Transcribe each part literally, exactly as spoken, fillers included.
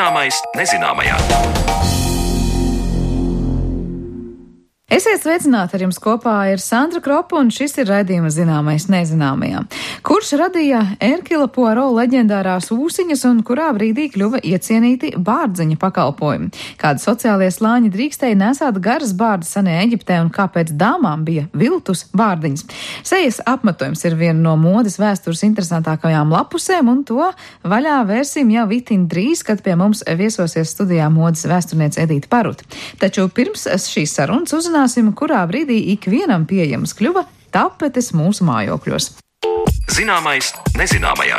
Zināmais nezināmajā. Esiet sveicināti, ar jums kopā ir Sandra Kropa, un šis ir raidījums Zināmais nezināmajā. Kurš radīja Erkila Poirot leģendārās ūsiņas un kurā brīdī kļuva iecienīti bārdziņa pakalpojumi? Kādi sociālie slāņi drīkstēja nesāt garas bārdas senajā Eģiptē un kāpēc dāmām bija viltus bārdiņas? Sejas apmetojums ir viena no modes vēstures interesantākajām lapusēm, un to vaļā vērsim jau itin drīz, kad pie mums viesosies studijā modes vēsturniece Edīte Paruta. Taču pirms šīs sarunas uzzināt, kurā brīdī ikvienam pieejams kļuva tapetes mūsu mājokļos. Zināmais nezināmajā.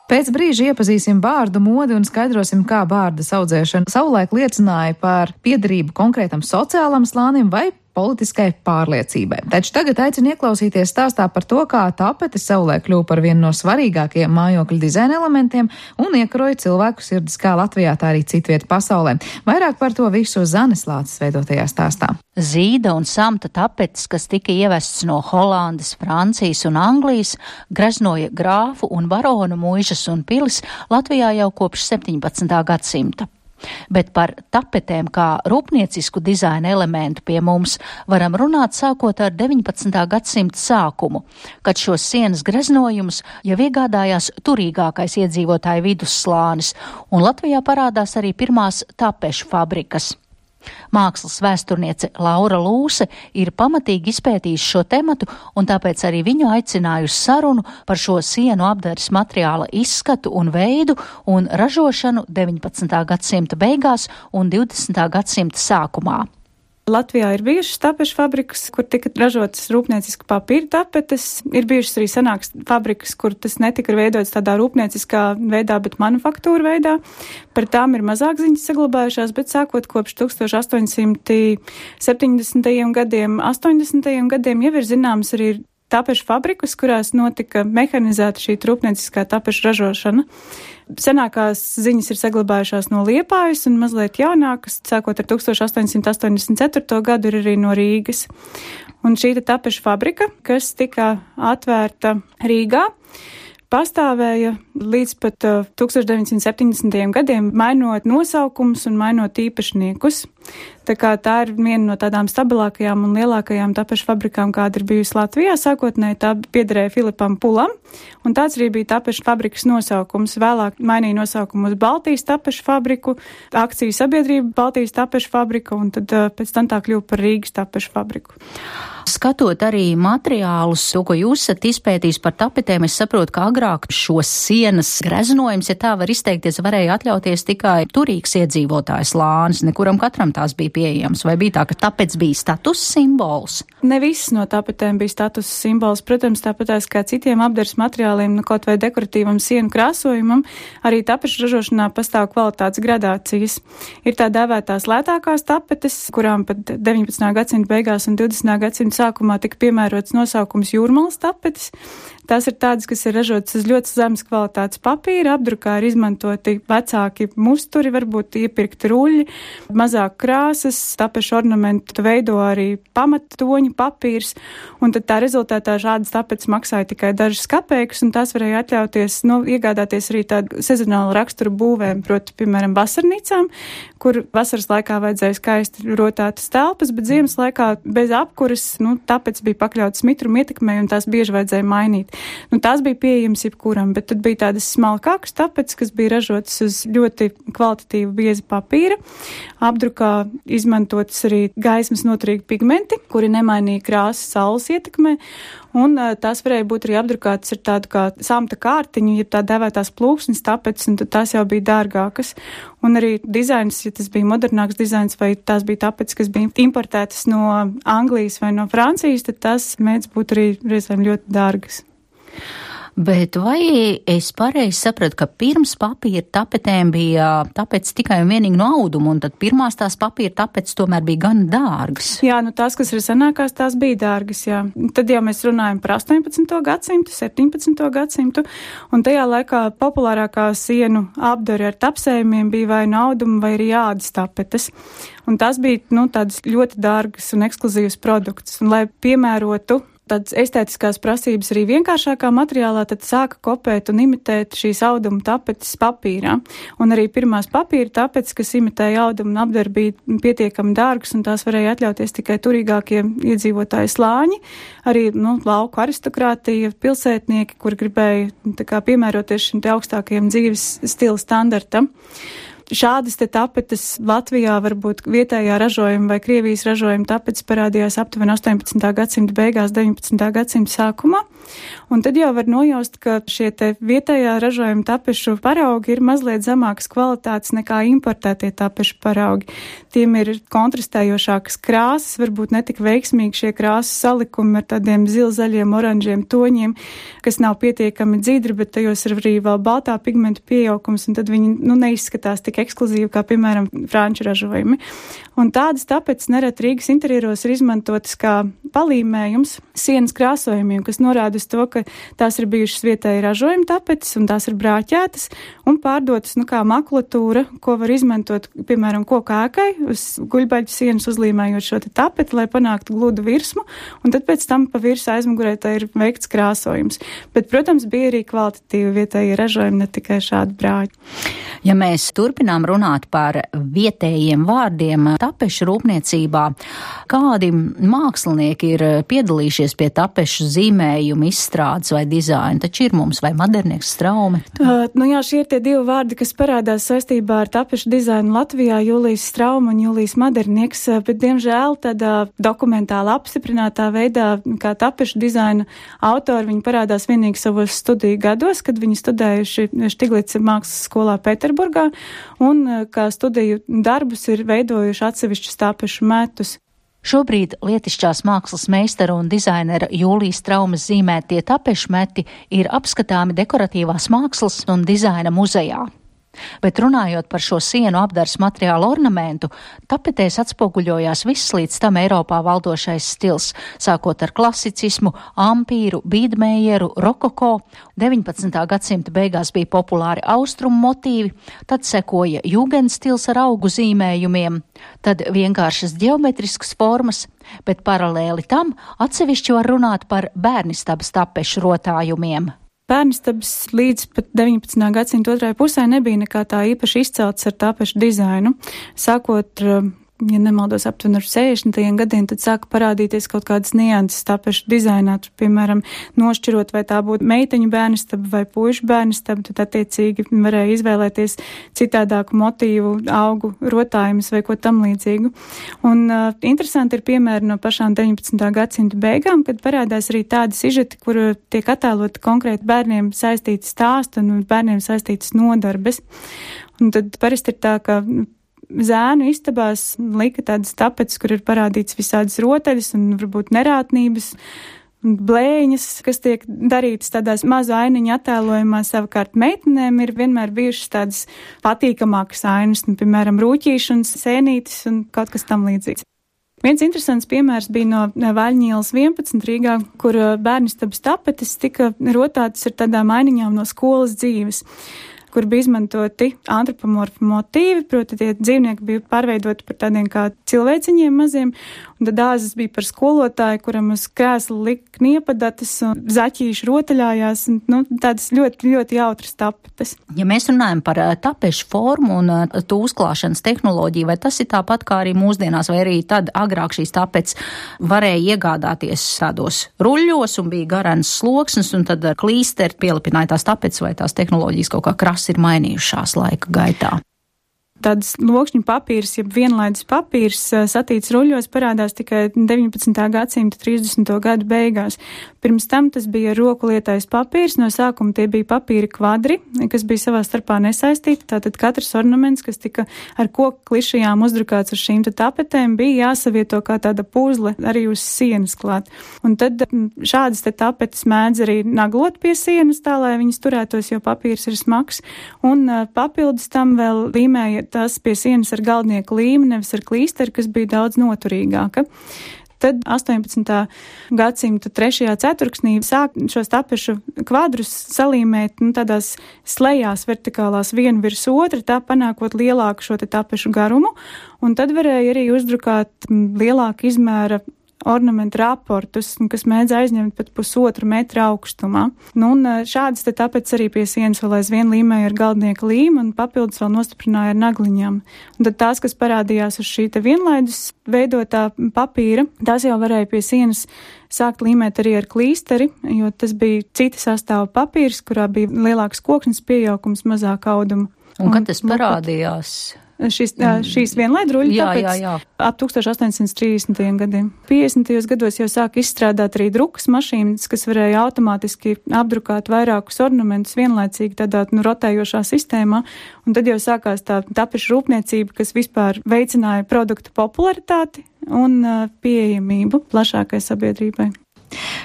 Pēc brīža iepazīsim bārdu modi un skaidrosim, kā bārdas audzēšana savulaik liecināja par piederību konkrētam sociālam slānim vai politiskai pārliecībai. Taču tagad aicinu ieklausīties stāstā par to, kā tapetes savulaik kļuva par vienu no svarīgākajiem mājokļu dizaina elementiem un iekaroja cilvēku sirdis kā Latvijā, tā arī citviet pasaulē. Vairāk par to visu Zanes Lāces veidotajā stāstā. Zīda un samta tapetes, kas tika ievests no Holandes, Francijas un Anglijas, greznoja grāfu un baronu muižas un pilis Latvijā jau kopš septiņpadsmitā gadsimta. Bet par tapetēm kā rūpniecisku dizaina elementu pie mums varam runāt sākot ar deviņpadsmitā gadsimta sākumu, kad šos sienas greznojumus jau iegādājās turīgākais iedzīvotāju vidusslānis, un Latvijā parādās arī pirmās tapešu fabrikas. Mākslas vēsturniece Laura Lūse ir pamatīgi izpētījusi šo tematu, un tāpēc arī viņu aicināju uz sarunu par šo sienu apdares materiāla izskatu un veidu un ražošanu deviņpadsmitā gadsimta beigās un divdesmitā gadsimta sākumā. Latvijā ir bijušas tapešu fabrikas, kur tika ražotas rūpnieciski papīra tapetes. Ir bijušas arī senākas fabrikas, kur tas netika veidots tādā rūpnieciskā veidā, bet manufaktūra veidā. Par tām ir mazāk ziņas saglabājušās, bet sākot kopš tūkstoš astoņsimt septiņdesmitajiem gadiem, astoņdesmitajiem gadiem jau ir zināms arī tapešu fabrikas, kurās notika mehanizēta šī rūpnieciskā tapešu ražošana. Senākās ziņas ir saglabājušās no Liepājas un mazliet jaunākas, sākot ar tūkstoš astoņsimt astoņdesmit ceturto gadu, ir arī no Rīgas. Un šī tapešu fabrika, kas tika atvērta Rīgā, pastāvēja līdz pat uh, tūkstoš deviņsimt septiņdesmitajiem gadiem, mainot nosaukumus un mainot īpašniekus. Tā kā tā ir viena no tādām stabilākajām un lielākajām tapešu fabrikām, kāda ir bijusi Latvijā. Sākotnēji tā piederēja Filipam Pulam, un tāds arī bija tapešu fabrikas nosaukums. Vēlāk mainīja nosaukumu uz Baltijas tapešu fabriku, akciju sabiedrība Baltijas tapešu fabrika, un tad uh, pēc tam tā kļuva par Rīgas tapešu fabriku. Skatot arī materiālus, to, ko jūs esat izpētījis par tapetēm, es saprotu, ka agrāk šos sienas greznojums, ja tā var izteikties, varēja atļauties tikai turīgs iedzīvotājs slānis, nekuram katram tās bija pieejams, vai bija tā, ka tapets bija status simbols? Ne visas no tapetēm bija status simbols, protams, tāpatās kā citiem apdares materiāliem, nu, kaut vai dekoratīvam sienu krāsojumam, arī tapešu ražošanā pastāv kvalitātes gradācijas. Ir tā dēvētās lētākās tapetes, kurām pat deviņpadsmitā gadsimta beigās un divdesmitā gadsimta sākumā tika piemērots nosaukums jūrmalas tapetes. Tās ir tādas, kas ir ražotas uz ļoti zemes kvalitātes papīra, apdrukā ir izmantoti vecāki musturi, varbūt iepirkti ruļļi, mazāk krāsas, tapešu ornamentu veido arī pamattoņu papīrs, un tad tā rezultātā šādas tapetes maksāja tikai dažas kapeikas, un tās varēja atļauties, nu, iegādāties arī tādu sezonālu raksturu būvēm, proti, piemēram, vasarnīcām, kur vasaras laikā vajadzēja skaisti rotātas telpas, bet ziemas laikā bez apkuras, nu, tapetes bija pakļautas mitruma ietekmei, un tās bieži vajadzēja mainīt. Nu, tās bija pieejamas jebkuram, bet tad bija tādas smalkākas tapetes, kas bija ražotas uz ļoti kvalitatīvu bieza papīra. Apdrukā izmantotas arī gaismas noturīgi pigmenti, kuri nemainīja krāsas saules ietekmē, un tās varēja būt arī apdrukātas ar tādu kā samta kārtiņu, ja tā dēvētās plūksnes tapetes, un tad tās jau bija dārgākas. Un arī dizains, ja tas bija modernāks dizains, vai tās bija tapetes, kas bija importētas no Anglijas vai no Francijas, tad tās mēdz būt arī reizēm ļoti dārgas. Bet vai es pareizi sapratu, ka pirms papīra tapetēm bija tapetes tikai un vienīgi no auduma, un tad pirmās tās papīra tapetes tomēr bija gan dārgas? Jā, nu tās, kas ir senākās, tās bija dārgas, jā. Tad jau mēs runājam par astoņpadsmito gadsimtu, septiņpadsmito gadsimtu, un tajā laikā populārākā sienu apdare ar tapsējumiem bija vai no auduma, vai arī ādas tapetes. Un tās bija, nu, tādas ļoti dārgas un ekskluzīvas produkts. Un, lai piemērotu tādas estētiskās prasības arī vienkāršākā materiālā, tad sāka kopēt un imitēt šīs auduma tapetes papīrā. Un arī pirmās papīra tapetes, kas imitēja audumu un apdara, bija pietiekami dārgas, un tās varēja atļauties tikai turīgākie iedzīvotāji slāņi, arī, nu, lauku aristokrātija, pilsētnieki, kur gribēja tā kā piemēroties šim te augstākajam dzīves stila standartam. Šādas te tapetes Latvijā varbūt vietējā ražojuma vai Krievijas ražojuma tapetes parādījās aptuveni astoņpadsmitā gadsimta beigās, deviņpadsmitā gadsimta sākumā. Un tad jau var nojaust, ka šie te vietējā ražojuma tapešu paraugi ir mazliet zemākas kvalitātes nekā importētie tapešu paraugi. Tiem ir kontrastējošākas krāsas, varbūt netik veiksmīgi šie krāsas salikumi ar tādiem zilzaļiem, oranžiem toņiem, kas nav pietiekami dzidri, bet tajos ir arī vēl baltā pigmentu pieaugums, un tad viņi, nu, neizskatās tik ekskluzīvi, kā, piemēram, franču ražojumi. Un tādas tapetes nereti Rīgas interjeros ir izmantotas kā palīmējums sienas krāsojumiem, kas norāda uz to, ka tās ir bijušas vietēji ražojuma tapetes, un tās ir brāķētas un pārdotas, nu, kā makulatūra, ko var izmantot, piemēram, koku ēkai, uz guļbaļu sienas uzlīmējot šo te tapeti, lai panāktu gludu virsmu, un tad pēc tam pa virs aizmugurē tā ir veikts krāsojums. Bet, protams, bija arī kvalitatīvi vietēji ražojumi, ne tikai šādi brāķi. Ja mēs turpinām runāt par vietējiem vārdiem tapešu rūpniecībā, kādi mākslinieki ir piedalījušies pie tapešu zīmējuma izstrādes vai dizaina? Taču ir mums vai Madernieks, Straume? Uh, nu jā, šie ir tie divi vārdi, kas parādās saistībā ar tapešu dizainu Latvijā, Jūlijs Strauma un Jūlijs Madernieks, bet, diemžēl, tādā dokumentāli apstiprinātā veidā, kā tapešu dizaina autori, viņi parādās vienīgi savos studiju gados, kad viņi studējuši Štiglica mākslas skolā Pēterburgā, un kā studiju darbus ir veidojuši atsevišķus tapešu metus. Šobrīd lietišķās mākslas meistara un dizainera Jūlijas Straumes zīmētie tapešu meti ir apskatāmi dekoratīvās mākslas un dizaina muzejā. Bet runājot par šo sienu apdars materiālu ornamentu, tapetēs atspoguļojās viss līdz tam Eiropā valdošais stils, sākot ar klasicismu, ampīru, bīdmējeru, rokoko. deviņpadsmitā gadsimta beigās bija populāri austrumu motīvi, tad sekoja jūgendstils ar augu zīmējumiem, tad vienkāršas ģeometriskas formas, bet paralēli tam atsevišķi var runāt par bērnistabas tapešu rotājumiem. Bērnistabas līdz pat deviņpadsmitā gadsimta otrajai pusē nebija nekā tā īpaši izcelts ar tapešu dizainu. Sākot, ja nemaldos, aptuveni ar sešdesmitajiem gadiem, tad sāka parādīties kaut kādas nianses tapešu dizainā. Piemēram, nošķirot, vai tā būtu meiteņu bērnistaba vai puišu bērnistaba, tad attiecīgi varēja izvēlēties citādāku motīvu, augu rotājumus vai ko tam līdzīgu. Un uh, interesanti ir piemēri no pašām deviņpadsmitā gadsimta beigām, kad parādās arī tādi sižeti, kur tiek attēloti konkrēti bērniem saistīti stāsti un bērniem saistītas nodarbes. Un tad parasti ir tā, ka zēnu istabās lika tādas tapetes, kur ir parādīts visādas rotaļas un varbūt nerātnības, blēņas, kas tiek darītas tādās mazu ainiņu attēlojumā. Savukārt meitenēm ir vienmēr bijušas tādas patīkamākas ainas, nu, piemēram, rūķīši un sēnītis un kaut kas tam līdzīgs. Viens interesants piemērs bija no Vaļņielas vienpadsmit Rīgā, kur bērnistabas tapetes tika rotātas ar tādām ainiņām no skolas dzīves, kur bija izmantoti antropomorfi motīvi, proti tie dzīvnieki bija pārveidoti par tādiem kā cilvēciņiem maziem, un tad dāzes bija par skolotāju, kuram uz krēsla lika kniepadatas un zaķīši rotaļājās, un, nu, tādas ļoti, ļoti jautras tapetes. Ja mēs runājam par tapešu formu un to uzklāšanas tehnoloģiju, vai tas ir tāpat kā arī mūsdienās, vai arī tad agrāk šīs tapetes varēja iegādāties tādos ruļļos un bija garants sloksnes, un tad ar klīsteri pielipināja tās tapetes vai tās tehnoloģijas kaut kā krāsas ir mainījušās laika gaitā? Tāds lokšņu papīrs, jeb vienlaidis papīrs satīts ruļļos parādās tikai deviņpadsmitā gadsimta trīsdesmito gadu beigās. Pirms tam tas bija roku lietais papīrs, no sākuma tie bija papīra kvadri, kas bija savā starpā nesaistīti, tātad katrs ornaments, kas tika ar koku klišajām uzdrukāts uz šīm tapetēm, bija jāsavieto kā tāda puzle arī uz sienas klāt. Un tad šādas te tapetes mēdz arī naglot pie sienas tā, lai viņas turētos, jo papīrs ir smags, un papildus tam vēl līmēja tas pie sienas ar galdnieku līmi, nevis ar klīsteri, kas bija daudz noturīgāka. Tad astoņpadsmitā gadsimta trešajā ceturksnī sāk šos tapešu kvadrus salīmēt, nu, tādās slejās vertikālās vienu virs otra, tā panākot lielāku šo te tapešu garumu, un tad varēja arī uzdrukāt lielāku izmēra ornamentu raportus, kas mēdz aizņemt pat pusotru metru augstumā. Nu, un šādas te tāpēc arī pie sienas vēl aizvien līmēja ar galdnieka līmu un papildus vēl nostiprināja ar nagliņām. Un tad tās, kas parādījās uz šī te vienlaidus veidotā papīra, tās jau varēja pie sienas sākt līmēt arī ar klīsteri, jo tas bija cita sastāva papīrs, kurā bija lielāks kokšņas piejaukums, mazāk auduma. Un, un kad tas parādījās? Šis, šīs vienlaidruļi, jā, tāpēc jā, jā. ap tūkstoš astoņsimt trīsdesmitajiem gadiem. piecdesmitajos gados jau sāka izstrādāt arī drukas mašīnas, kas varēja automātiski apdrukāt vairākus ornamentus vienlaicīgi tādā nu, rotējošā sistēmā, un tad jau sākās tā tapešu rūpniecība, kas vispār veicināja produktu popularitāti un uh, pieejamību plašākai sabiedrībai.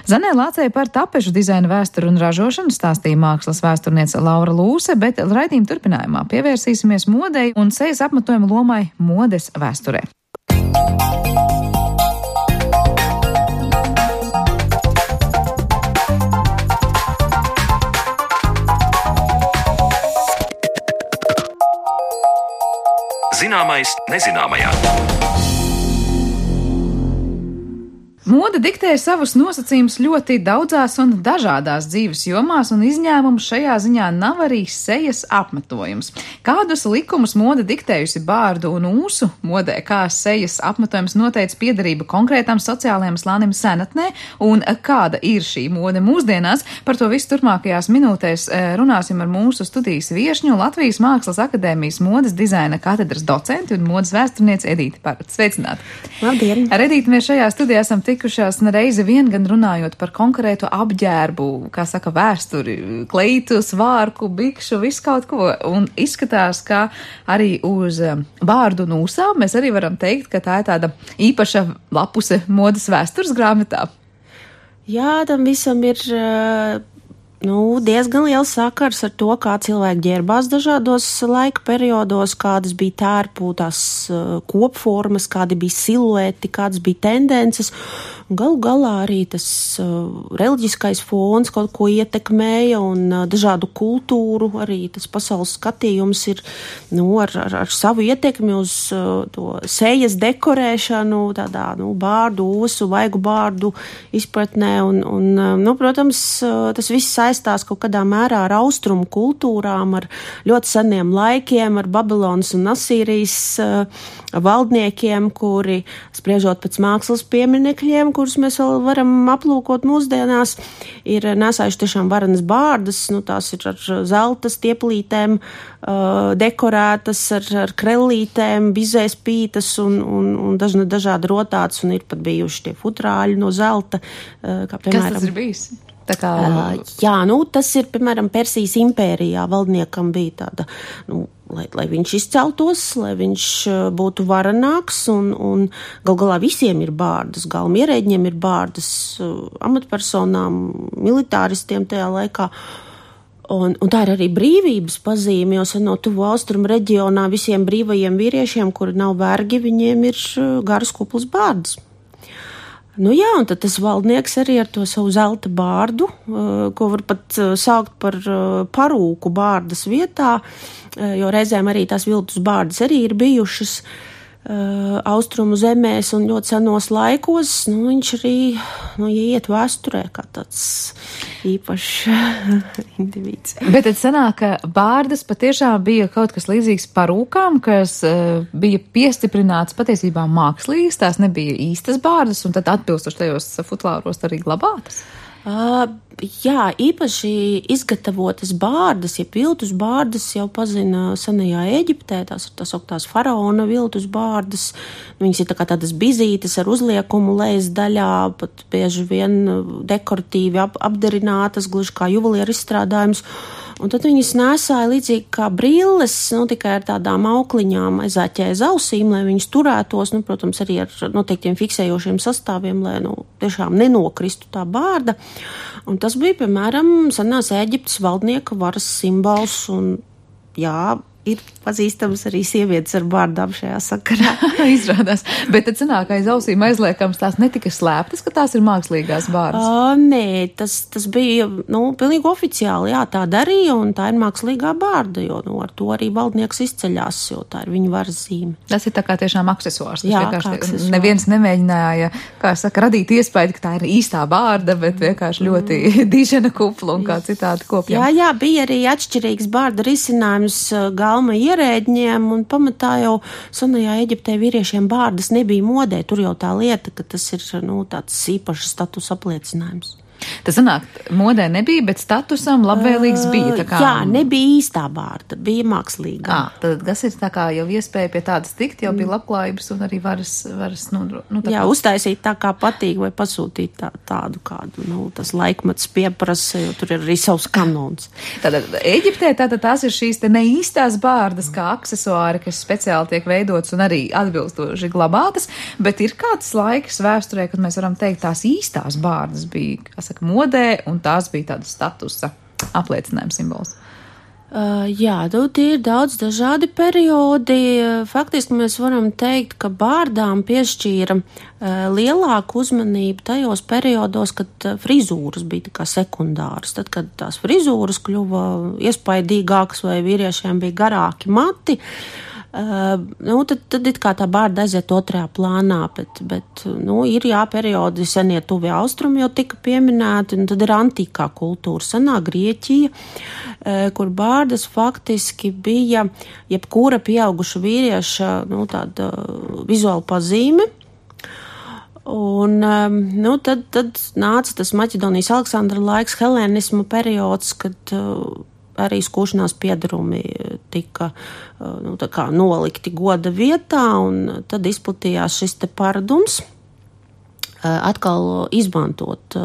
Zanē Lācei par tapešu dizaina vēsturi un ražošanu stāstīja mākslas vēsturniece Laura Lūse, bet raidījuma turpinājumā pievērsīsimies modei un sejas apmetojuma lomai modes vēsturē. Zināmais nezināmajā. Moda diktē savus nosacījumus ļoti daudzās un dažādās dzīves jomās, un izņēmums šajā ziņā nav arī sejas apmetojums. Kādus likumus moda diktējusi bārdu un ūsu modē, kā sejas apmetojums noteica piederību konkrētam sociālajam slānim senatnē, un kāda ir šī mode mūsdienās, par to visu turpmākajās minūtēs runāsim ar mūsu studijas viešņu, Latvijas Mākslas akadēmijas modes dizaina katedras docenti un modes vēsturnieci Edīti Parati. Sveicināti! Labdien! Ar Edīti mēs šajā studijā esam tikušās nereizi vien gan runājot par konkrētu apģērbu, kā saka, vēsturi, kleitu, svārku, bikšu, visu kaut ko. Un izskatās, ka arī uz bārdu un ūsām mēs arī varam teikt, ka tā ir tāda īpaša lapuse modes vēstures grāmatā. Jā, tam visam ir nu, diezgan liels sakars ar to, kā cilvēki ģērbās dažādos laika periodos, kādas bija tērpu, tās kopformas, kādi bija silueti, kādas bija tendences. Galu galā arī tas uh, reliģiskais fons kaut ko ietekmēja un uh, dažādu kultūru, arī tas pasaules skatījums ir nu, ar, ar, ar savu ietekmi uz uh, to sejas dekorēšanu, tādā nu, bārdu, ūsu, vaigu bārdu izpratnē. Un, un, uh, nu, protams, uh, tas viss saistās kaut kādā mērā ar austrumu kultūrām, ar ļoti seniem laikiem, ar Babilonas un Asīrijas uh, valdniekiem, kuri, spriežot pēc mākslas pieminekļiem, kurus mēs vēl varam aplūkot mūsdienās, ir nesājuši tiešām varenas bārdas, nu tās ir ar zelta stieplītēm, uh, dekorētas, ar, ar krellītēm, bizēs pītas un, un, un dažna, dažādi rotāts, un ir pat bijuši tie futrāļi no zelta. Uh, kā, piemēram, kas tas ir bijis? Tā kā... uh, jā, nu tas ir, piemēram, Persijas impērijā valdniekam bija tāda, nu, Lai, lai viņš izceltos, lai viņš būtu varenāks, un, un gal galā visiem ir bārdas, galmierēģiem ir bārdas, amatpersonām, militāristiem tajā laikā. Un, un tā ir arī brīvības pazīme, jo no tuvu austrumu reģionā visiem brīvajiem vīriešiem, kuri nav vergi, viņiem ir garas kuplas bārdas. Nu jā, un tad tas valdnieks arī ar to savu zelta bārdu, ko var pat saukt par parūku bārdas vietā, jo reizēm arī tās viltus bārdas arī ir bijušas austrumu zemēs un ļoti senos laikos. Nu, viņš arī nu, iet vēsturē kā tāds īpašs individs. Bet tad sanāk, ka bārdas patiešām bija kaut kas līdzīgs parūkām, kas uh, bija piestiprināts patiesībā mākslīgs, tās nebija īstas bārdas, un tad atbilstoši tajos futlāros arī glabātas? Uh, jā, īpaši izgatavotas bārdas, ja viltus bārdas jau pazina senajā Ēģiptē, tās ir tās augtās faraona viltus bārdas, viņas ir tā kā tādas bizītes ar uzliekumu lejas daļā, pat bieži vien dekoratīvi ap, apdarinātas, gluži kā juvelieru izstrādājums. Un tad viņas nesāja līdzīgi kā brilles, nu, tikai ar tādām aukliņām aizāķēja uz ausīm, lai viņas turētos, nu, protams, arī ar noteiktiem fiksējošiem sastāviem, lai, nu, tiešām nenokristu tā bārda. Un tas bija, piemēram, senās Ēģiptes valdnieka varas simbols, un, jā, ir pazīstams arī sievietes ar bārdām šajā sakarā. Izrādās. Bet tad sanāk aiz ausīm aizliekams tās netika slēptas, ka tās ir mākslīgās bārdas? Uh, nē, tas, tas bija, nu, pilnīgi oficiāli, jā, tā darīja, un tā ir mākslīgā bārda, jo, nu, ar to arī valdnieks izceļās, jo tā ir viņa varas zīme. Tas ir tā kā tiešām aksesuārs. Jā, kā aksesuārs. Neviens nemēģināja, kā saka, radīt iespēju, ka tā ir īstā bārda, bet vienkārši ļoti mm. dižena kupla un kā citādi kopjam. Jā, jā, bija arī atšķirīgs bārda risinājums galma ierēģņiem, un pamatā jau senajā Eģiptē vīriešiem bārdas nebija modē. Tur jau tā lieta, ka tas ir, nu, tāds īpašs status apliecinājums. Tas sanāk, modē nebija, bet statusam labvēlīgs bija. Tā kā... Jā, nebija īstā bārda, bija mākslīga. À, tad tas ir tā kā jau iespēja pie tādas tikt, jau bija labklājības un arī varas, varas nu, nu, tā jā, kā... uztaisīt tā kā patīk vai pasūtīt tā, tādu kādu, nu, tas laikmets pieprasa, jo tur ir arī savs kanons. Tātad Eģiptē tātad tās ir šīs te neīstās bārdas kā aksesuāri, kas speciāli tiek veidots un arī atbilstoši glabātas, bet ir kāds laiks vēsturē, kad mēs varam teikt, tās īstās bārdas bija, kā saka, modē, un tās bija tāda statusa apliecinājuma simbols. Uh, jā, nu, tie ir daudz dažādi periodi. Faktiski mēs varam teikt, ka bārdām piešķīra uh, lielāku uzmanību tajos periodos, kad uh, frizūras bija tā kā sekundāras. Tad, kad tās frizūras kļuva iespaidīgākas vai vīriešiem bija garāki mati, Uh, nu, tad, tad it kā tā bārda aiziet otrajā plānā, bet, bet nu, ir jā, periodi senie tuvie austrumi jau tika pieminēti, un tad ir antīkā kultūra, senā Grieķija, uh, kur bārdas faktiski bija jebkura pieauguša vīrieša, nu, tāda vizuāla pazīme. Un, um, nu, tad, tad nāca tas Maķedonijas Aleksandra laiks, helēnisma periods, kad uh, arī skūšanās piedarumi tika nu, tā kā nolikti goda vietā, un tad izplatījās šis te paradums atkal izmantot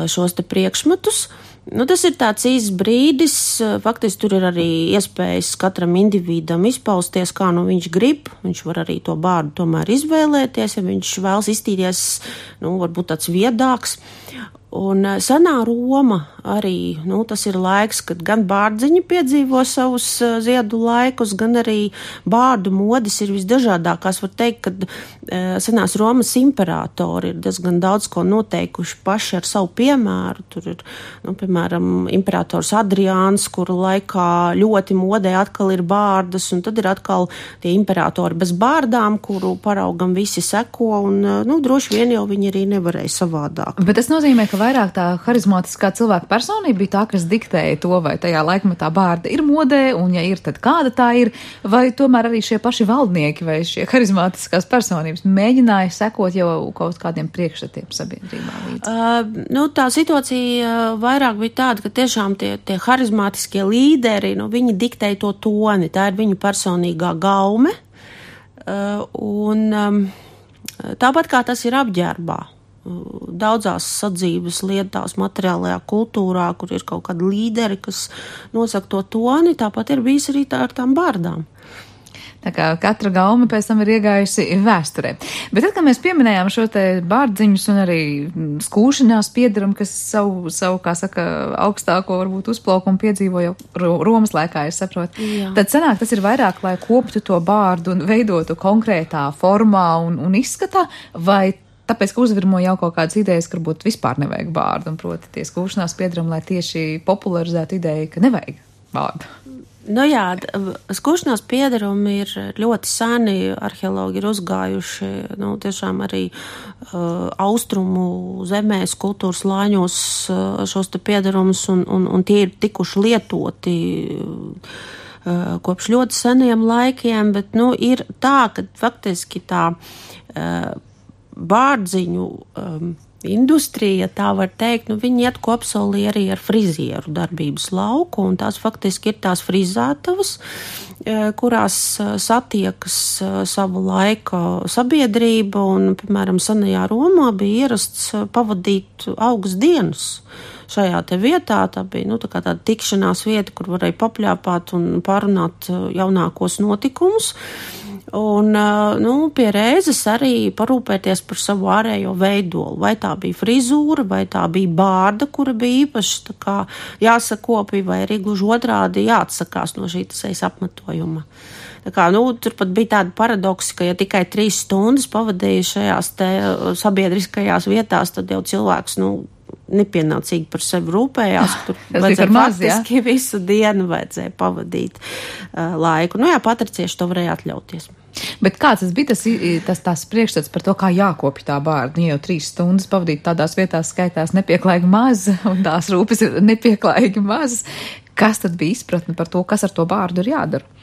šos te priekšmetus. Nu, tas ir tāds īsts brīdis, faktiski tur ir arī iespējas katram individam izpausties, kā nu viņš grib, viņš var arī to bārdu tomēr izvēlēties, ja viņš vēlas iztīties, nu, varbūt tāds viedāks. Un senā Roma arī, nu, tas ir laiks, kad gan bārdziņi piedzīvo savus ziedu laikus, gan arī bārdu modes ir visdažādākās. Var teikt, ka senās Romas imperatori ir diezgan daudz ko noteikuši paši ar savu piemēru. Tur ir, nu, piemēram, imperators Adriāns, kuru laikā ļoti modē atkal ir bārdas, un tad ir atkal tie imperatori bez bārdām, kuru paraugam visi seko, un, nu, droši vien jau viņi arī nevarēja savādāk. Bet tas nozīmē, ka vairāk tā harizmātiskā cilvēka personība bija tā, kas diktēja to, vai tajā laikmetā bārda ir modē, un ja ir, tad kāda tā ir, vai tomēr arī šie paši valdnieki vai šie harizmātiskās personības mēģināja sekot jau kaut kādiem priekšstatiem sabiedrībā līdzi? Uh, nu, tā situācija vairāk bija tāda, ka tiešām tie, tie harizmātiskie līderi, nu, viņi diktēja to toni, tā ir viņu personīgā gaume, uh, un um, tāpat kā tas ir apģērbā. Daudzās sadzīves lietās, materiālajā kultūrā, kur ir kaut kādi līderi, kas nosaka to toni, tāpat ir bijis arī tā ar tām bārdām. Tā kā katra gaume pēc tam ir iegājusi vēsturē. Bet tad, kad mēs pieminējām šo te bārdziņus un arī skūšanās piedarumu, kas savu, savu, kā saka, augstāko varbūt uzplaukumu piedzīvo jau Romas laikā, es saprotu. Jā. Tad sanāk, tas ir vairāk, lai koptu to bārdu un veidotu konkrētā formā un, un izskatā, vai tāpēc, ka uzvirmo jau kaut kādas idejas, ka varbūt vispār nevajag bārdu, un proti tie skūšanās piedarumi, lai tieši popularizētu ideju, ka nevajag bārdu. Nu jā, skūšanās piedarumi ir ļoti seni, arheologi ir uzgājuši, nu, tiešām arī uh, austrumu zemēs, kultūras lāņos uh, šos te piedarumus, un, un, un tie ir tikuši lietoti uh, kopš ļoti seniem laikiem, bet, nu, ir tā, ka faktiski tā uh, bārdziņu um, industrija, tā var teikt, nu, viņi iet kopsolī arī ar frizieru darbības lauku, un tās faktiski ir tās frizētavas, kurās satiekas savu laiku sabiedrība, un, piemēram, senajā Romā bija ierasts pavadīt augas dienas šajā te vietā. Tā bija, nu, tā kā tāda tikšanās vieta, kur varēja papļāpāt un pārunāt jaunākos notikumus. Un, nu, pie reizes arī parūpēties par savu ārējo veidolu. Vai tā bija frizūra, vai tā bija bārda, kura bija īpaši tā kā jāsakopī, vai arī gluži otrādi jāatsakās no šī sejas apmetojuma. Tā kā, nu, tur pat bija tāda paradoksa, ka ja tikai trīs stundas pavadīja šajās te sabiedriskajās vietās, tad jau cilvēks, nu, nepienācīgi par sevi rūpējās, ka tur vajadzēja faktiski visu dienu vajadzēja pavadīt uh, laiku. Nu jā, patricieši to varēja atļauties. Bet kāds tas bija tas, tas tās priekšstats par to, kā jākopja tā bārda? Nu, jau trīs stundas pavadīt tādās vietās skaitās nepieklājīgi maz, un tās rūpes ir nepieklājīgi mazas. Kas tad bija izpratne par to, kas ar to bārdu ir jādara?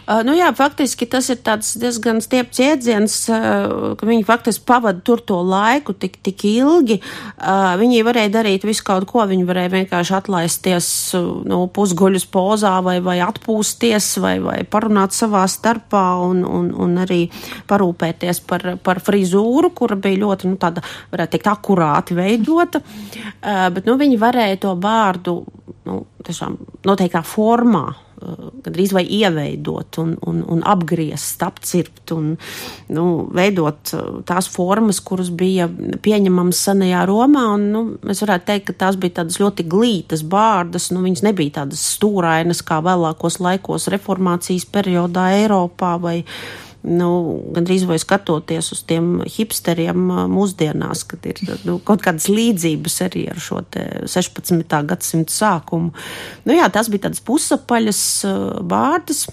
Uh, nu jā, faktiski tas ir tāds diezgan stiepts iedziens, uh, ka viņi faktiski pavada tur to laiku tik, tik ilgi. Uh, viņi varēja darīt visu kaut ko, viņi varēja vienkārši atlaisties uh, nu, pusguļus pozā vai, vai atpūsties vai, vai parunāt savā starpā un, un, un arī parūpēties par, par frizūru, kura bija ļoti, nu, tāda, varētu teikt, akurāti veidota. Uh, bet, nu, viņi varēja to bārdu, nu, tiešām noteiktā formā gandrīz vai ieveidot un, un, un apgriezt, apcirpt un, nu, veidot tās formas, kuras bija pieņemamas senajā Romā, un, nu, mēs varētu teikt, ka tās bija tādas ļoti glītas bārdas, nu, viņas nebija tādas stūrainas, kā vēlākos laikos reformācijas periodā Eiropā vai nu, gandrīz vai skatoties uz tiem hipsteriem mūsdienās, kad ir, nu, kaut kādas līdzības arī ar šo te sešpadsmitā gadsimta sākumu. Nu jā, tās bija tādas pusapaļas bārdas,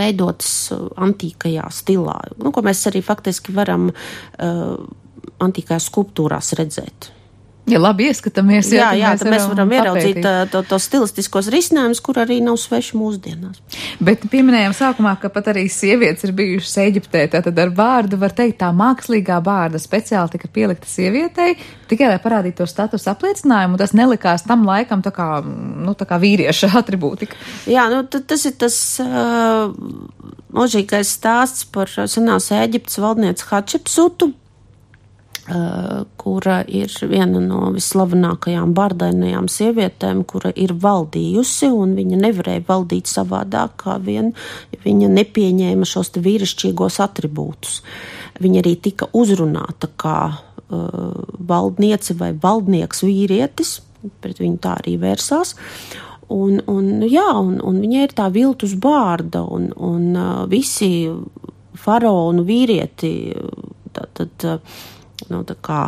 veidotas antīkajā stilā, nu, ko mēs arī faktiski varam antīkajās skulptūrās redzēt. Ja labi ieskatāmies, jā, jā, tad mēs varam papētīt. ieraudzīt to, to stilistiskos risinājumus, kur arī nav sveši mūsdienās. Bet pieminējām sākumā, ka pat arī sievietes ir bijušas Eģiptē, tātad ar bārdu var teikt, tā mākslīgā bārda speciāli tika pielikta sievietei, tikai lai parādītu to status apliecinājumu, un tas nelikās tam laikam tā kā, nu, tā kā vīrieša atribūtika. Jā, nu, tas ir tas uh, mūžīgais stāsts par senās Eģiptes valdnieci Hatšepsutu, Uh, kura ir viena no vislavenākajām bardainajām sievietēm, kura ir valdījusi, un viņa nevarēja valdīt savādāk, kā vien, ja viņa nepieņēma šos te vīrišķīgos atribūtus. Viņa arī tika uzrunāta kā uh, valdniece vai valdnieks vīrietis, pret viņu tā arī vērsās. Un, un, jā, un, un viņai ir tā viltus bārda, un, un uh, visi faraonu vīrieti, tātad, uh, nu, tā kā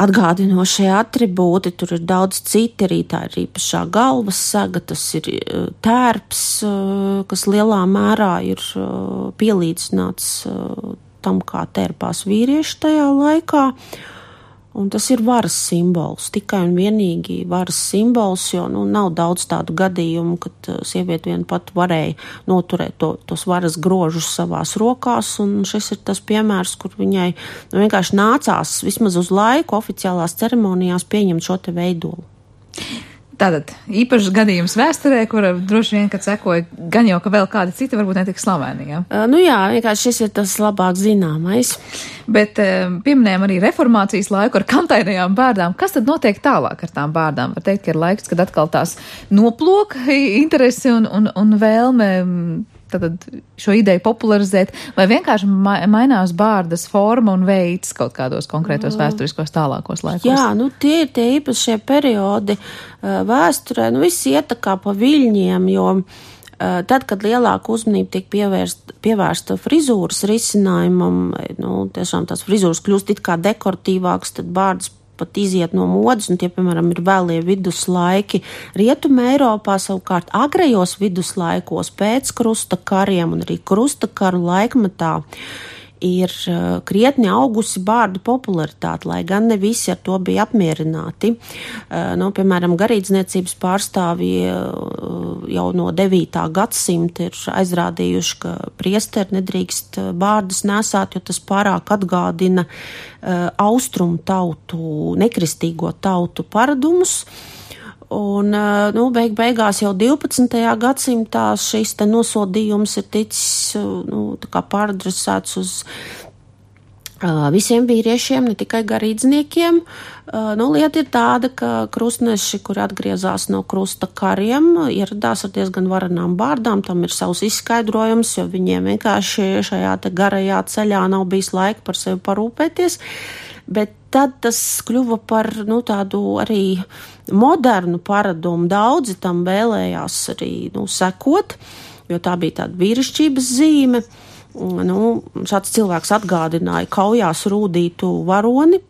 atgādinošie atribūti, tur ir daudz citi, arī tā ir īpašā galvas saga, tas ir tērps, kas lielā mērā ir pielīdzināts tam, kā tērpās vīrieši tajā laikā. Un tas ir varas simbols, tikai un vienīgi varas simbols, jo, nu, nav daudz tādu gadījumu, kad sieviete vien pat varēja noturēt to, tos varas grožus savās rokās, un šis ir tas piemērs, kur viņai, nu, vienkārši nācās vismaz uz laiku oficiālās ceremonijās pieņemt šo te veidolu. Tātad īpašs gadījums vēsturē, kura droši vien, kad sekoja gan jau, ka vēl kādi citi varbūt netik slaveni, jā? Uh, nu jā, vienkārši šis ir tas labāk zināmais. Bet uh, pieminējām arī reformācijas laiku ar kantainajām bārdām. Kas tad notiek tālāk ar tām bārdām? Var teikt, ka ir laiks, kad atkal tās noplok interesi un, un, un vēlme tātad šo ideju popularizēt, vai vienkārši ma- mainās bārdas forma un veids kaut kādos konkrētos vēsturiskos tālākos laikos? Jā, nu tie ir tie īpašie periodi uh, vēsturē, nu viss iet tā kā pa viļņiem, jo uh, tad, kad lielāka uzmanība tiek pievērsta, pievērsta frizūras risinājumam, nu tiešām tās frizūras kļūst it kā dekoratīvāks, tad bārdas pat iziet no modas, un tie, piemēram, ir vēlie viduslaiki. Rietuma Eiropā savukārt agrējos viduslaikos pēc krusta kariem un arī krusta karu laikmetā ir krietni augusi bārdu popularitāte, lai gan ne visi ar to bija apmierināti. Nu, piemēram, garīdzniecības pārstāvji jau no devītā gadsimta ir aizrādījuši, ka priesteri nedrīkst bārdus nesāt, jo tas pārāk atgādina austrumu tautu, nekristīgo tautu paradumus. Un, nu, beig beigās jau divpadsmitajā gadsimtā šis te nosodījums ir ticis, nu, tā kā pāradresēts uz visiem vīriešiem, ne tikai garīdzniekiem. Nu, lieta ir tāda, ka krustneši, kuri atgriezās no krusta kariem, ieradās ar diezgan varenām bārdām, tam ir savs izskaidrojums, jo viņiem vienkārši šajā te garajā ceļā nav bijis laika par sevi parūpēties, bet tad tas kļuva par, nu, tādu arī modernu paradumu. Daudzi tam vēlējās arī, nu, sekot, jo tā bija tāda vīrišķības zīme. Nu, šāds cilvēks atgādināja kaujās rūdītu varoni,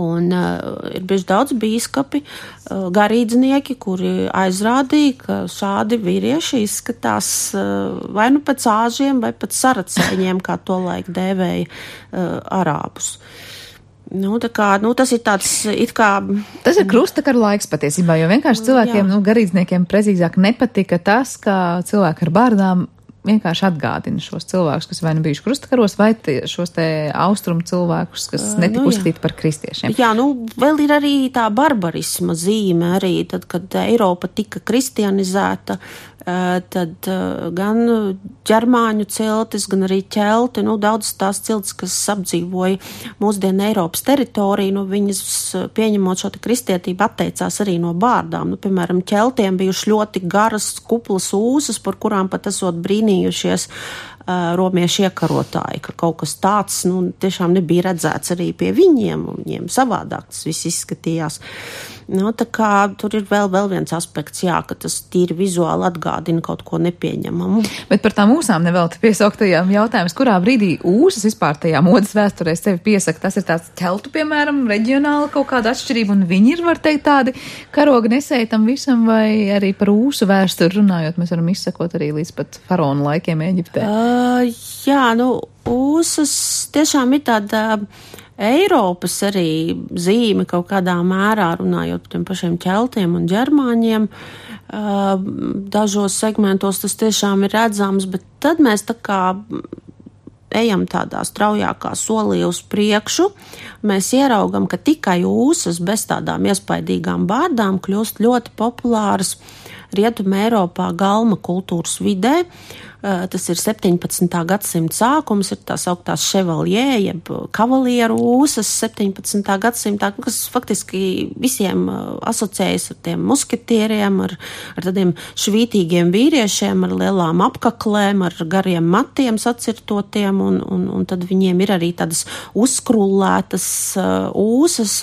un uh, ir bijuši daudz bīskapi, uh, garīdznieki, kuri aizrādīja, ka šādi vīrieši izskatās uh, vai nu pēc āžiem, vai pēc saracēņiem, kā to laik dēvēja uh, arābus. Nu, tā kā, nu, tas ir tāds, it kā... Tas ir krustakaru laiks patiesībā, jo vienkārši cilvēkiem, jā. nu, garīdzniekiem precīzāk nepatika tas, ka cilvēki ar bārdām vienkārši atgādina šos cilvēkus, kas vai nu bijuši krustakaros, vai tie, šos te austrumu cilvēkus, kas netika nu, uzskatīti par kristiešiem. Jā, nu, vēl ir arī tā barbarisma zīme arī, tad, kad Eiropa tika kristianizēta, tad gan ģermāņu ciltis, gan arī ķelti, nu, daudz tās ciltis, kas apdzīvoja mūsdienu Eiropas teritoriju, nu, viņas pieņemot šo te kristietību atteicās arī no bārdām. Nu, piemēram, ķeltiem bijuši ļoti garas kuplas ūsas, par kurām pat esot brīnījušies uh, romiešu iekarotāji, ka kaut kas tāds, nu, tiešām nebija redzēts arī pie viņiem, un viņiem savādāk tas viss izskatījās. Nu, tā kā tur ir vēl, vēl viens aspekts, jā, ka tas tīri vizuāli atgādina kaut ko nepieņemamu. Bet par tām ūsām nevēl te piesauktajām jautājums, kurā brīdī ūsas vispār tajā modas vēsturē sevi piesaka. Tas ir tāds ķeltu, piemēram, reģionāla kaut kāda atšķirība, un viņi ir, var teikt, tādi karoga nesēji tam visam, vai arī par ūsu vēsturi runājot, mēs varam izsakot arī līdz pat faraonu laikiem Eģiptē. Uh, jā, nu, ūsas tiešām ir tāda Eiropas arī zīme kaut kādā mērā, runājot par tiem pašiem ķeltiem un ģermāņiem. Dažos segmentos tas tiešām ir redzams, bet tad mēs tā kā ejam tādā straujākā solī uz priekšu. Mēs ieraugam, ka tikai ūsas bez tādām iespaidīgām bārdām kļūst ļoti populāras Rietumē Eiropā galma kultūras vidē. Tas ir septiņpadsmitā gadsimta sākums, ir tās augtās ševaljē, jeb kavalieru ūsas septiņpadsmitā gadsimtā, kas faktiski visiem asociējas ar tiem musketieriem, ar, ar tādiem švītīgiem vīriešiem, ar lielām apkaklēm, ar gariem matiem sacirtotiem, un, un, un tad viņiem ir arī tādas uzskrullētas ūsas,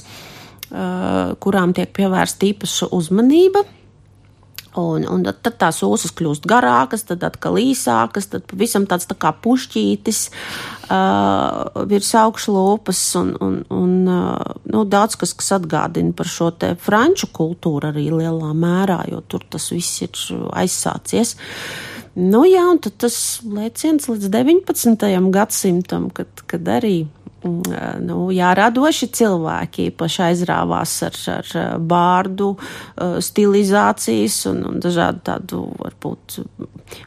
kurām tiek pievērsta īpaša uzmanība. Un, un tad tās ūsas kļūst garākas, tad atkal īsākas, tad pavisam tāds tā kā pušķītis uh, virs augšlūpas un, un, un uh, nu, daudz kas, kas atgādina par šo te franču kultūru arī lielā mērā, jo tur tas viss ir aizsācies. Nu jā, un tad tas lēciens līdz deviņpadsmitajam gadsimtam, kad, kad arī Nu, jā, radoši cilvēki īpaši aizrāvās ar, ar bārdu stilizācijas un, un dažādu tādu, varbūt,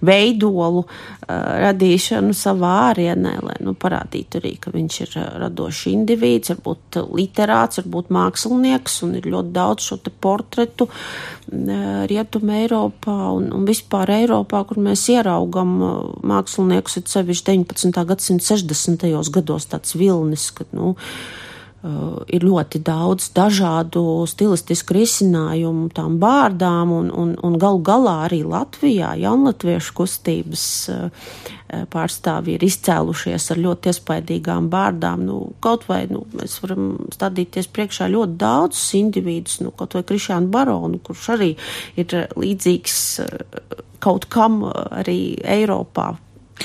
veidolu radīšanu savā ārienē, lai, nu, parādītu arī, ka viņš ir radošs indivīds, varbūt literāts, varbūt mākslinieks, un ir ļoti daudz šo te portretu Rietumē Eiropā un, un vispār Eiropā, kur mēs ieraugam māksliniekus, ir sevišķi deviņpadsmitā gadsimta sešdesmitajos gados tāds vilnis, kad, nu, uh, ir ļoti daudz dažādu stilistisku risinājumu tām bārdām, un, un, un galu galā arī Latvijā jaunlatviešu kustības uh, pārstāvji ir izcēlušies ar ļoti iespaidīgām bārdām. Nu, kaut vai, nu, mēs varam stādīties priekšā ļoti daudzus individus, nu, kaut vai Krišjānu Baronu, kurš arī ir līdzīgs uh, kaut kam arī Eiropā.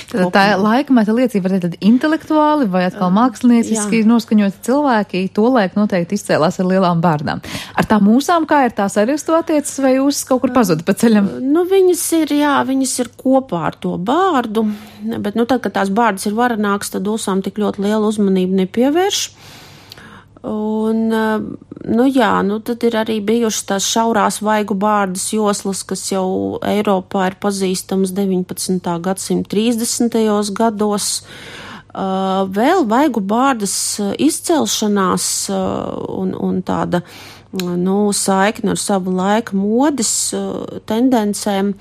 Tad tā laikmeta liecība var teikt intelektuāli vai atkal mākslinieciski noskaņoti cilvēki, tolaik noteikti izcēlās ar lielām bārdām. Ar tām mūsām kā ir, tās arī uz to attiecas vai jūs kaut kur pazuda pa ceļam? Nu, viņas ir, jā, viņas ir kopā ar to bārdu, bet, nu, tad, kad tās bārdas ir varenāks, tad ūsām tik ļoti lielu uzmanību nepievērš. Un, nu jā, nu tad ir arī bijušas tās šaurās vaigu bārdas joslas, kas jau Eiropā ir pazīstamas deviņpadsmitā gadsimta trīsdesmitajos gados. Uh, vēl vaigu bārdas izcelšanās uh, un, un tāda, nu, saikne ar savu laiku modes uh, tendencēm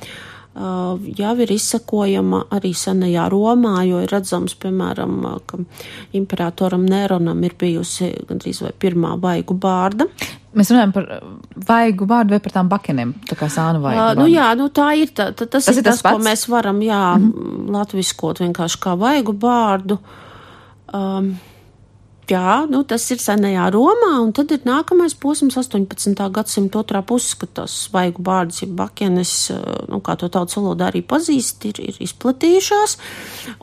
jau ir izsekojama arī senajā Romā, jo ir redzams, piemēram, ka imperatoram Neronam ir bijusi gandrīz vai pirmā vaigu bārda. Mēs runājam par vaigu bārdu vai par tām bakenēm, tā kā sānu vaigu bārdu? Uh, nu jā, nu tā ir, tā, tā, tas, tas ir tas, tas ko mēs varam, jā, mm-hmm. latviskot vienkārši kā vaigu bārdu. Um, jā, nu tas ir senajā Romā, un tad ir nākamais posms astoņpadsmitā gadsimta otrā puses, kad tās vaigu bārdas, ja bakenes, nu kā to tautas valodā arī pazīst, ir, ir izplatījušās,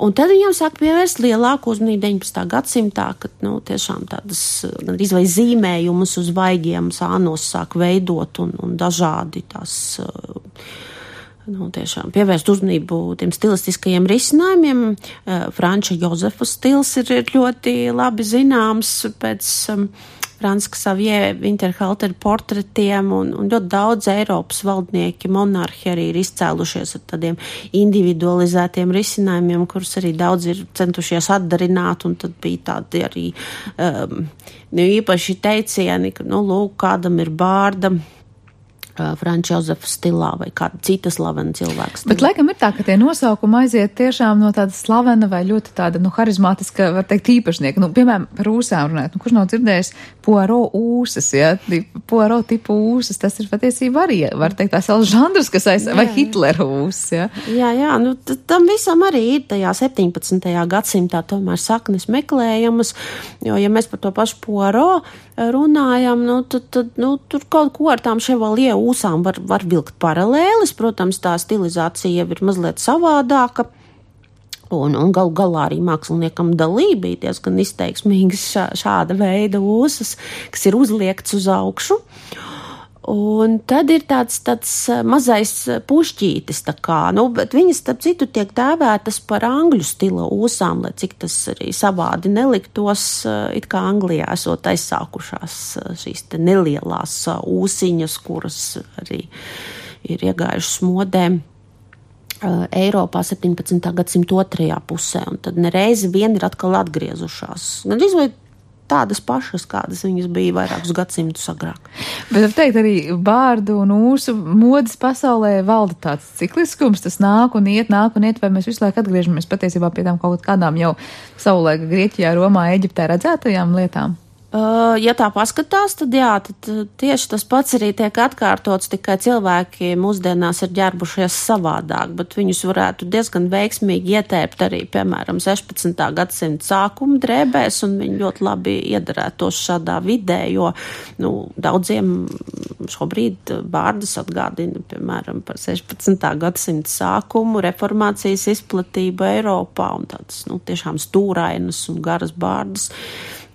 un tad viņam sāk pievērst lielāku uzmanību deviņpadsmitā gadsimtā, kad, nu, tiešām tādas, gandrīz vai zīmējumus uz vaigiem sānos sāk veidot un, un dažādi tās, nu, tiešām pievērst uzmanību tiem stilistiskajiem risinājumiem. Franča Jozefa stils ir ļoti labi zināms pēc um, Franska Xavier Winterhalter portretiem, un, un ļoti daudz Eiropas valdnieki, monarhi arī ir izcēlušies ar tādiem individualizētiem risinājumiem, kurus arī daudz ir centušies atdarināt, un tad bija tādi arī um, nu, īpaši teicieni, ka, nu, lūk, kādam ir bārda, Franča Jozefa stilā vai kāda cita slavena cilvēka stilā. Bet laikam ir tā, ka tie nosaukumi aiziet tiešām no tāda slavena vai ļoti tāda, nu, harizmātiska, var teikt, īpašnieka. Nu, piemēram, par ūsām runājot. Nu, kurš nav dzirdējis Poirot ūsas, ja? Poirot tipu ūsas, tas ir patiesībā arī, var teikt, tās vēl žanrs, kas aiz, vai Hitlera ūsas, ja? Jā, jā, nu, tam visam arī ir tajā septiņpadsmitajā gadsimtā tomēr saknes meklējamas, jo, ja mēs par to pašu Poirot runājam, nu, tad, tad, nu, tur kaut ko ar tām Chevalier ūsām var, var vilkt paralēlis, protams, tā stilizācija jau ir mazliet savādāka, un, un gal galā arī māksliniekam dalība bija diezgan izteiksmīgas šā, šāda veida ūsas, kas ir uzliekts uz augšu. Un tad ir tāds, tāds mazais pušķītis, tā kā, nu, bet viņas, starp citu, tiek dēvētas par angļu stila ūsām, lai cik tas arī savādi neliktos, it kā Anglijā esot aizsākušās šīs te nelielās ūsiņas, kuras arī ir iegājušas modēm Eiropā septiņpadsmitā gadsimta otrajā pusē, un tad nereizi vien ir atkal atgriezušās. Gandrīz vai tādas pašas, kādas viņas bija vairākus gadsimtus agrāk. Bet, var teikt, arī bārdu un ūsu modes pasaulē valda tāds cikliskums, tas nāk un iet, nāk un iet, vai mēs visu laiku atgriežamies patiesībā pie tām kaut kādām jau savulaika Grieķijā, Romā, Eģiptē redzētajām lietām? Uh, ja tā paskatās, tad jā, tad tieši tas pats arī tiek atkārtots, tikai cilvēki mūsdienās ir ģērbušies savādāk, bet viņus varētu diezgan veiksmīgi ietērpt arī, piemēram, sešpadsmitā gadsimta sākuma drēbēs, un viņi ļoti labi iedarētos šādā vidē, jo, nu, daudziem šobrīd bārdas atgādina, piemēram, par sešpadsmitā gadsimta sākumu, reformācijas izplatību Eiropā, un tādas, nu, tiešām stūrainas un garas bārdas.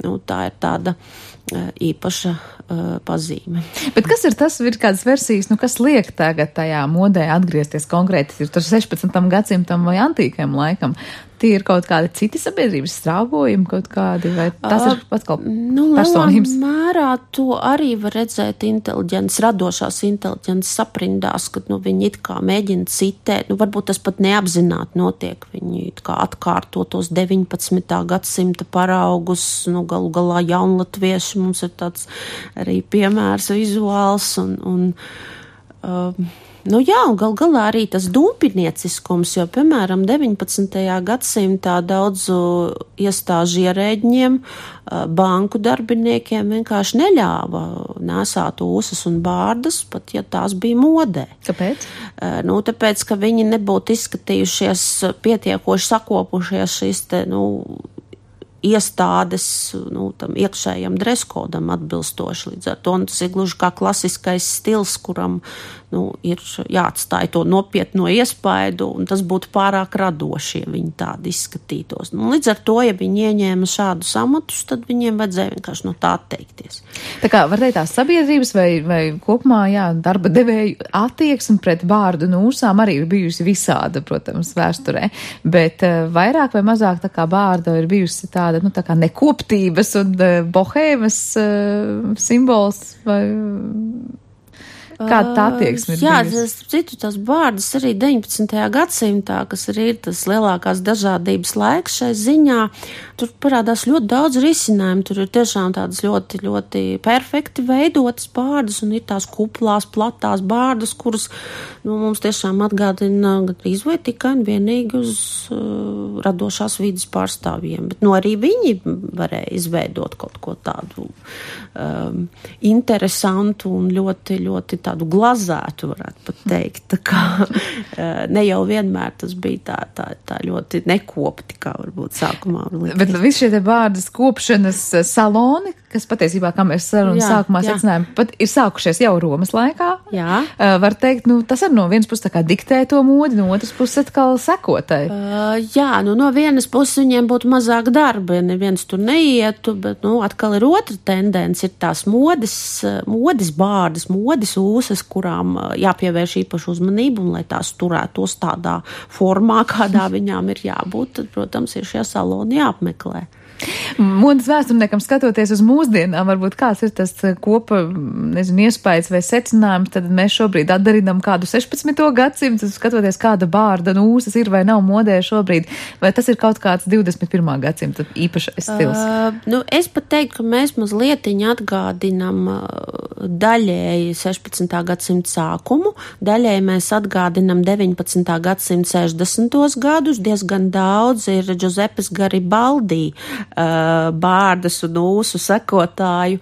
Nu, tā ir tāda uh, īpaša uh, pazīme. Bet kas ir tas, ir kādas versijas, nu, kas liek tagad tajā modē atgriezties konkrēti, ir tas sešpadsmitam gadsimtam vai antīkajam laikam? Tie ir kaut kādi citi sabiedrības strāvojumi, kaut kādi, vai tas ir pats kaut nu, personības? Nu, mērā to arī var redzēt inteliģents, radošās inteliģents saprindās, kad, nu, viņi it kā mēģina citēt, nu, varbūt tas pat neapzināti notiek, viņi it kā atkārto tos deviņpadsmitā gadsimta paraugus, nu, galu galā jaunlatvieši, mums ir tāds arī piemērs vizuāls, un, un um, nu jā, un gal galā arī tas dūmpinieciskums, jo, piemēram, deviņpadsmitajā gadsimtā daudzu iestāžu ierēģņiem, banku darbiniekiem vienkārši neļāva nēsāt ūsas un bārdas, pat ja tās bija modē. Kāpēc? Nu, tāpēc, ka viņi nebūtu izskatījušies pietiekoši sakopušies šīs te, nu, iestādes, nu, tam iekšējam dreskodam atbilstoši līdz ar to, un tas ir gluži kā klasiskais stils, kuram, nu, ir jāatstāj to nopietno iespaidu, un tas būtu pārāk radoši, ja viņi tādi izskatītos. Nu, līdz ar to, ja viņi ieņēma šādus amatus, tad viņiem vajadzēja vienkārši no tā atteikties. Tā kā, var teikt, tās sabiedrības vai, vai kopumā, jā, darba devēju attieksme pret bārdu un ūsām arī ir bijusi visāda, protams, vēsturē, bet uh, vairāk vai mazāk tā kā bārda ir bijusi tāda, nu, tā kā nekoptības un uh, bohēmas uh, simbols vai... Kāda tā attieksme ir Jā, bijusi? citu tās bārdas arī deviņpadsmitajā gadsimtā, kas arī ir tas lielākās dažādības laiks šai ziņā, tur parādās ļoti daudz risinājumu. Tur ir tiešām tādas ļoti, ļoti perfekti veidotas bārdas un ir tās kuplās, platās bārdas, kuras nu, mums tiešām atgādina gandrīz vai tikai un vienīgi uz uh, radošās vidas pārstāvjiem. Bet nu, arī viņi varēja izveidot kaut ko tādu um, interesantu un ļoti, ļoti tādu glazētu, varētu pat teikt. Tā kā ne jau vienmēr tas bija tā, tā, tā ļoti nekopti, kā varbūt sākumā. Bet visi šie te bārdas kopšanas saloni, kas patiesībā, kā mēs sarunas sākumā secinājām, pat ir sākušies jau Romas laikā. Jā. Var teikt, nu, tas ar no vienas puses tā kā diktē to modi, no otras puses atkal sekotai. Uh, jā, nu no vienas puses viņiem būtu mazāk darba, ja neviens tur neietu, bet, nu, atkal ir otra tendence, ir tās modes, modes bārdas, modes ūsas, kurām jāpievērš īpašu uzmanību, un lai tās turētos tādā formā, kādā viņām ir jābūt, tad, protams, ir šie saloni jāapmeklē. Modes vēsturniekam skatoties uz mūsdienām, varbūt kāds ir tas kopa, nezinu, iespējas vai secinājums, tad mēs šobrīd atdarinam kādu sešpadsmito gadsimtu, skatoties kāda bārda un ūsas ir vai nav modē šobrīd, vai tas ir kaut kāds divdesmit pirmā gadsimta īpašais stils? Uh, nu, es pat teiktu, ka mēs mazlietiņi atgādinam daļēji sešpadsmitā gadsimta sākumu, daļēji mēs atgādinam deviņpadsmitā gadsimta sešdesmitos gadus, diezgan daudz ir Giuseppes Garibaldi bārdas un ūsu sekotāju,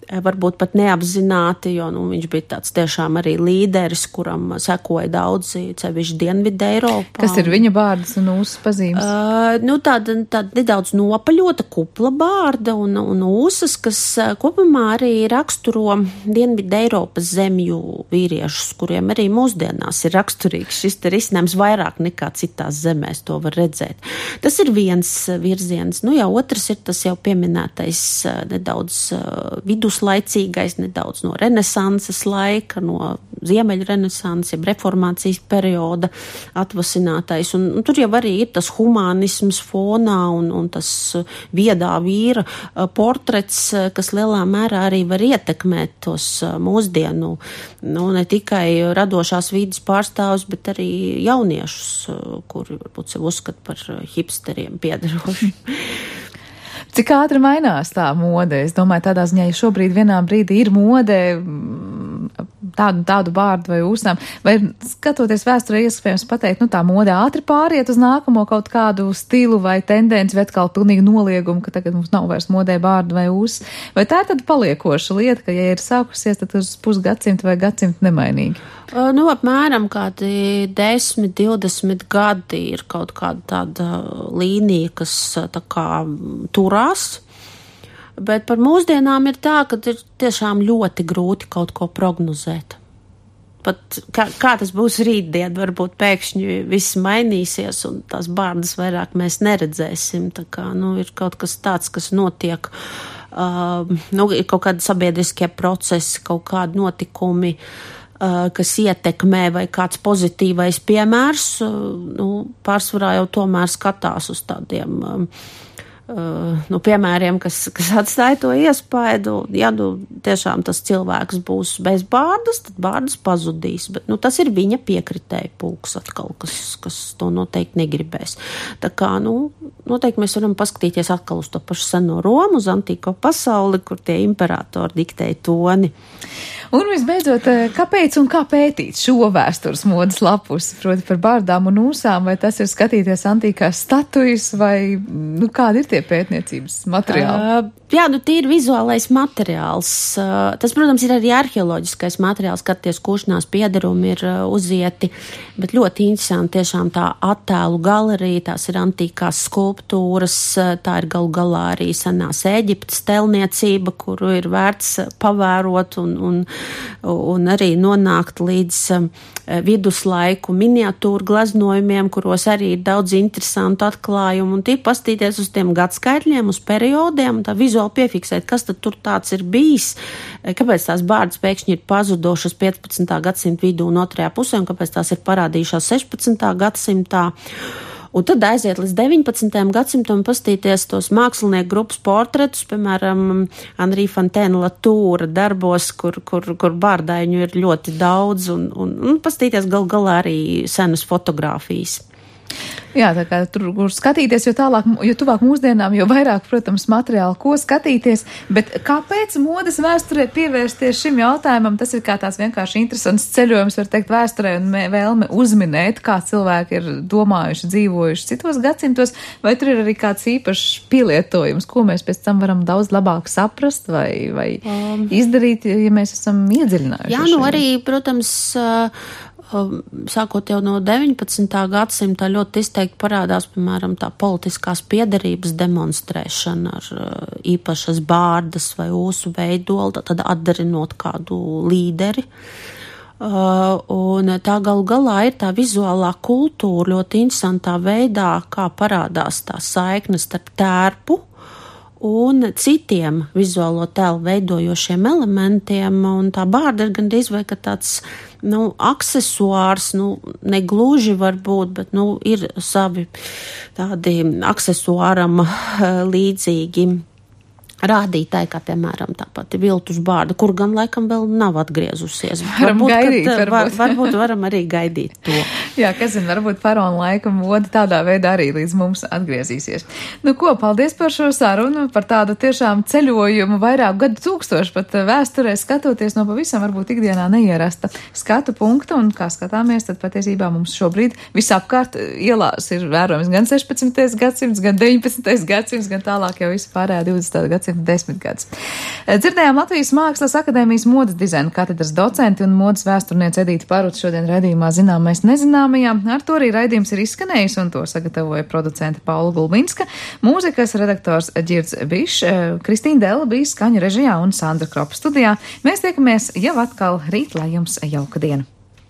varbūt pat neapzināti, jo nu, viņš bija tāds tiešām arī līderis, kuram sekoja daudzi, cevišķi Dienvidu Eiropā. Kas ir viņa bārdas un ūsas pazīmes? Uh, nu, tāda, tāda nedaudz nopaļota kupla bārda un, un ūsas, kas kopumā arī raksturo Dienvidu Eiropas zemju vīriešus, kuriem arī mūsdienās ir raksturīgs šis te risinājums vairāk nekā citās zemēs, to var redzēt. Tas ir viens virziens. Nu, jā, otrs ir tas jau pieminētais nedaudz vidus laicīgais, nedaudz no renesanses laika, no ziemeļu renesanses, jeb reformācijas perioda atvasinātais. Un, un tur jau arī ir tas humānisms fonā un, un tas viedā vīra portrets, kas lielā mērā arī var ietekmēt tos mūsdienu, nu, ne tikai radošās vidas pārstāvus, bet arī jauniešus, kuri varbūt sev uzskata par hipsteriem piedaroši. Cik ātri mainās tā mode? Es domāju, tādā ziņā, ja šobrīd vienā brīdī ir mode tādu, tādu bārdu vai ūsām, vai skatoties vēsturē iespējams pateikt, nu tā mode ātri pāriet uz nākamo kaut kādu stilu vai tendenci, vai atkal pilnīgi noliegumu, ka tagad mums nav vairs modē bārdu vai ūsas, vai tā ir tad paliekoša lieta, ka ja ir sākusies, tad uz pusgadsimtu vai gadsimtu nemainīgi? Nu, apmēram kādi desmit, divdesmit gadi ir kaut kāda tāda līnija, kas tā kā turās, bet par mūsdienām ir tā, ka ir tiešām ļoti grūti kaut ko prognozēt. Pat kā, kā tas būs rītdien, varbūt pēkšņi viss mainīsies un tās bārdas vairāk mēs neredzēsim, tā kā, nu, ir kaut kas tāds, kas notiek, uh, nu, ir kaut kādi sabiedriskie procesi, kaut kādi notikumi, kas ietekmē vai kāds pozitīvais piemērs, nu, pārsvarā jau tomēr skatās uz tādiem nu, piemēriem, kas, kas atstāja to iespaidu. Ja nu tiešām tas cilvēks būs bez bārdas, tad bārdas pazudīs, bet nu, tas ir viņa piekritēja pulks atkal, kas, kas to noteikti negribēs. Tā kā, nu, noteikti mēs varam paskatīties atkal uz to pašu seno Romu, uz antīko pasauli, kur tie imperatori diktēja toni. Un visbeidzot, kāpēc un kā pētīt šo vēstures modes lapus, proti par bārdām un ūsām, vai tas ir skatīties antīkās statujas, vai, nu, kādi ir tie pētniecības materiāli? Uh, jā, nu, tīri vizuālais materiāls. Uh, tas, protams, ir arī arheoloģiskais materiāls, skaties, kuršanās piedarumi ir uh, uzieti, bet ļoti interesanti tiešām tā attēlu galerija, tās ir antīkās skulptūras, uh, tā ir galu galā arī senās Ēģiptes telniecība, kuru ir vērts pavērot un, un un arī nonākt līdz um, viduslaiku miniatūru glaznojumiem, kuros arī ir daudz interesantu atklājumu, un tie pastīties uz tiem gadskaitļiem, uz periodiem, un tā vizuāli piefiksēt, kas tad tur tāds ir bijis, kāpēc tās bārdas pēkšņi ir pazudošas piecpadsmitā gadsimta vidū un otrajā pusē, un kāpēc tās ir parādījušās sešpadsmitā gadsimtā. Un tad aiziet līdz deviņpadsmitajam gadsimtam pastīties tos mākslinieku grupas portretus, piemēram, Henri Fontaine Latoura darbos, kur, kur, kur bārdaiņu ir ļoti daudz, un, un, un pastīties gal galā arī senas fotogrāfijas. Jā, tā kā tur, kur skatīties, jo tālāk, jo tuvāk mūsdienām, jo vairāk, protams, materiāli, ko skatīties, bet kāpēc modes vēsturē pievērsties šim jautājumam? Tas ir kā tās vienkārši interesants ceļojums, var teikt, vēsturē un vēlme uzminēt, kā cilvēki ir domājuši, dzīvojuši citos gadsimtos, vai tur ir arī kāds īpašs pielietojums, ko mēs pēc tam varam daudz labāk saprast vai, vai um, izdarīt, ja mēs esam iedziļinājuši. Jā, nu arī, protams, sākot jau no deviņpadsmitā gadsimta ļoti izteikti parādās, piemēram, tā politiskās piederības demonstrēšana ar īpašas bārdas vai ūsu veidolu, tad atdarinot kādu līderi. Uh, un tā galu galā ir tā vizuālā kultūra ļoti interesantā veidā, kā parādās tā saikne starp tērpu un citiem vizuālo tēlu veidojošiem elementiem, un tā bārda ir gandrīz vai ka tāds, nu, aksesuārs, nu, negluži varbūt, bet, nu, ir savi tādi aksesuāram līdzīgi rādītāji, kā piemēram tā pati viltus bārda, kur gan laikam vēl nav atgriezusies. Varam varbūt, gaidīt, kad, varbūt. Var, varbūt varam arī gaidīt to. Jā, kas zina, varbūt faraona laika moda tādā veidā arī līdz mums atgriezīsies. Nu ko, paldies par šo sarunu, par tādu tiešām ceļojumu vairāk gadu tūkstošu pat vēsturē skatoties no pavisam varbūt ikdienā neierasta skatu punkta, un kā skatāmies, tad patiesībā mums šobrīd visapkārt ielās ir vērojams gan sešpadsmitais gadsimts, gan deviņpadsmitais gadsimts, gan tālāk jau visu pārējā divdesmitā gadsimta desmit gadus. Dzirdējām Latvijas Mākslas akadēmijas modes dizaina katedras docenti un modes vēsturniece Edīte Paruta šodien raidījumā Zināmais nezināmajā. Ar to arī raidījums ir izskanējis, un to sagatavoja producente Paula Gulbinska, mūzikas redaktors Ģirds Bišs, Kristīna Dela bija skaņu režijā un Sandra Kropa studijā. Mēs tiekamies jau atkal rīt, lai jums jauka diena.